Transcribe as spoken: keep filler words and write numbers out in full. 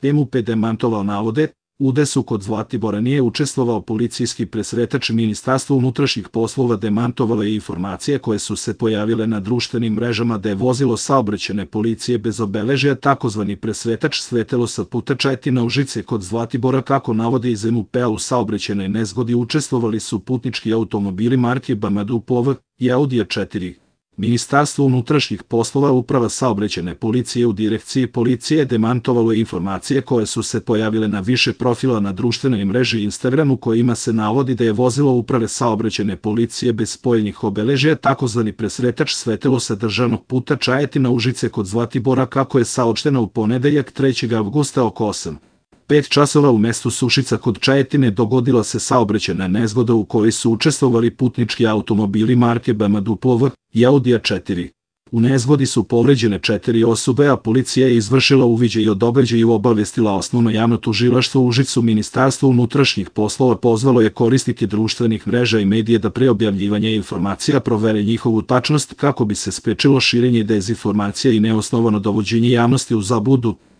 M U P demantovao navode, u udesu kod Zlatibora nije učestvovao policijski presretač. Ministarstvo unutrašnjih poslova demantovalo je informacije koje su se pojavile na društvenim mrežama da je vozilo saobraćajne policije bez obeležja takozvani presretač sletelo sa puta Čajetina Užice kod Zlatibora. Kako navode iz M U P-a, u saobraćajnoj nezgodi učestvovali su putnički automobili marke B M W P O V i Audi A četiri. Ministarstvo unutrašnjih poslova, Uprava saobraćajne policije u Direkciji policije demantovalo je informacije koje su se pojavile na više profila na društvenoj mreži Instagram u kojima se navodi da je vozilo Uprave saobraćajne policije bez spojenih obeležja takozvani presretač sletelo sa državnog puta Čajetina Užice kod Zlatibora, kako je saopšteno u ponedeljak trećeg avgusta oko osam sati pet časova u mestu Sušica kod Čajetine dogodila se saobraćajna nezgoda u kojoj su učestvovali putnički automobili marke B M W P O V i Audi A četiri. U nezgodi su povređene četiri osobe, a policija je izvršila uviđaj o događaju i obavestila Osnovno javno tužilaštvo u Užicu. Ministarstvo unutrašnjih poslova pozvalo je korisnike društvenih mreža i medije da pre objavljivanja informacija provere njihovu tačnost kako bi se sprečilo širenje dezinformacija i neosnovano dovođenje javnosti u zabludu.